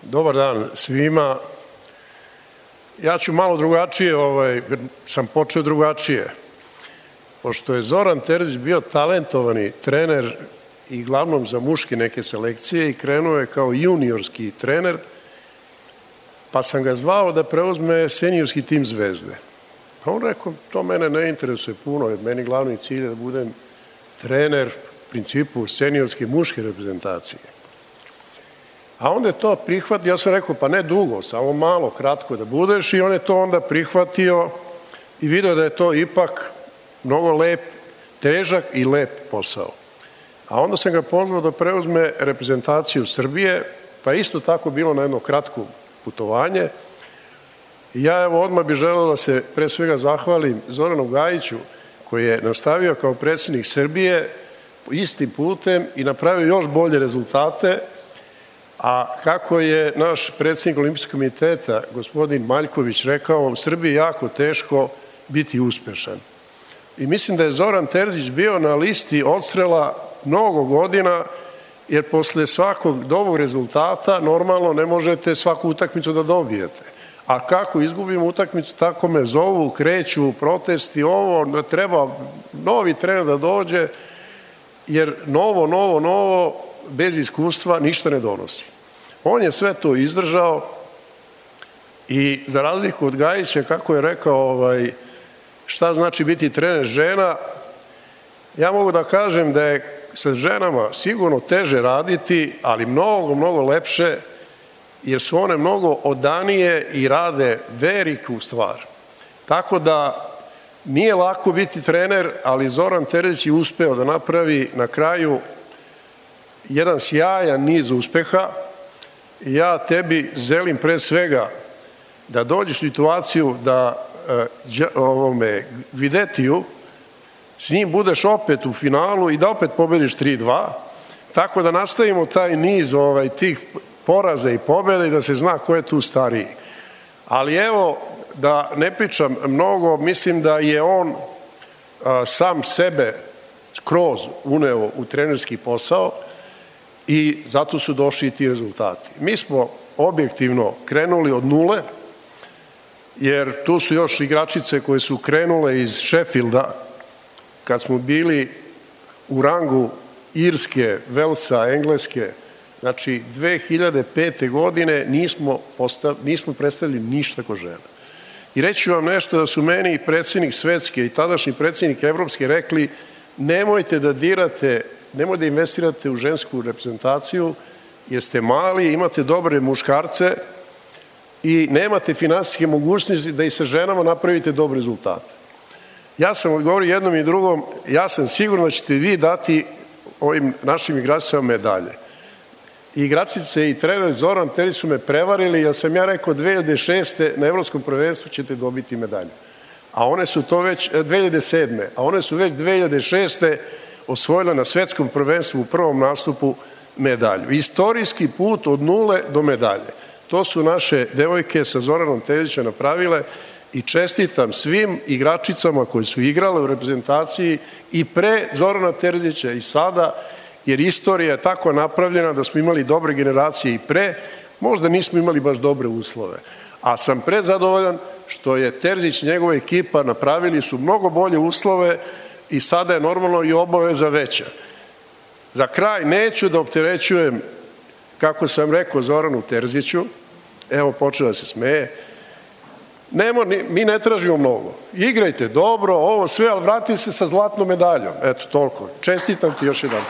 Dobar dan svima. Ja ću malo drugačije, sam počeo drugačije. Pošto je Zoran Terzić bio talentovani trener i glavnom za muške neke selekcije i krenuo je kao juniorski trener, pa sam ga zvao da preuzme seniorski tim Zvezde. A on rekao, to mene ne interesuje puno, jer meni glavni cilj je da budem trener u principu seniorske muške reprezentacije. A onda je to prihvatio, ja sam rekao, pa ne dugo, samo malo, kratko da budeš, i on je to onda prihvatio i vidio da je to ipak mnogo lep, težak i lep posao. A onda sam ga pozvao da preuzme reprezentaciju Srbije, pa isto tako bilo na jedno kratko putovanje. I ja evo odmah bih želeo da se pre svega zahvalim Zoranu Gajiću, koji je nastavio kao predsjednik Srbije istim putem i napravio još bolje rezultate, a kako je naš predsjednik Olimpijskog komiteta, gospodin Maljković, rekao, u Srbiji je jako teško biti uspešan. I mislim da je Zoran Terzić bio na listi odstrela mnogo godina, jer posle svakog dobrog rezultata normalno ne možete svaku utakmicu da dobijete. A kako izgubimo utakmicu, tako me zovu, kreću protesti, ovo, treba novi trener da dođe, jer novo, bez iskustva ništa ne donosi. On je sve to izdržao i za razliku od Gajića, kako je rekao šta znači biti trener žena, ja mogu da kažem da je sa ženama sigurno teže raditi, ali mnogo lepše, jer su one mnogo odanije i rade veliku stvar. Tako da nije lako biti trener, ali Zoran Terzić je uspeo da napravi na kraju jedan sjajan niz uspeha. Ja tebi želim pre svega da dođeš u situaciju da Gvidetiju, s njim budeš opet u finalu i da opet pobediš 3-2, tako da nastavimo taj niz tih poraza i pobjeda i da se zna ko je tu stariji. Ali evo, da ne pričam mnogo, mislim da je on sam sebe skroz uneo u trenerski posao i zato su došli i ti rezultati. Mi smo objektivno krenuli od nule, jer tu su još igračice koje su krenule iz Sheffielda, kad smo bili u rangu Irske, Velsa, Engleske. Znači, 2005. godine nismo predstavili ništa ko žena. I reći ću vam nešto da su meni i predsjednik Svetske i tadašnji predsjednik Evropske rekli, nemojte da dirate, nemojte da investirate u žensku reprezentaciju, jer ste mali, imate dobre muškarce i nemate finansijske mogućnosti da i sa ženama napravite dobre rezultate. Ja sam odgovorio jednom i drugom, ja sam siguran da ćete vi dati ovim našim igračicama medalje. I igračice i trener Zoran Terzić su me prevarili, jer sam ja rekao 2006. na Evropskom prvenstvu ćete dobiti medalju. A one su to već 2007. A one su već 2006. osvojile na svetskom prvenstvu u prvom nastupu medalju. Istorijski put od nule do medalje. To su naše devojke sa Zoranom Terzićem napravile i čestitam svim igračicama koji su igrale u reprezentaciji i pre Zorana Terzića i sada, jer istorija je tako napravljena da smo imali dobre generacije i pre, možda nismo imali baš dobre uslove. A sam prezadovoljan što je Terzić i njegova ekipa napravili su mnogo bolje uslove i sada je normalno i obaveza veća. Za kraj neću da opterećujem, kako sam rekao Zoranu Terziću, evo počeo da se smeje, mi ne tražimo mnogo. Igrajte dobro, ovo sve, ali vratite se sa zlatnom medaljom. Eto, toliko. Čestitam ti još jedan.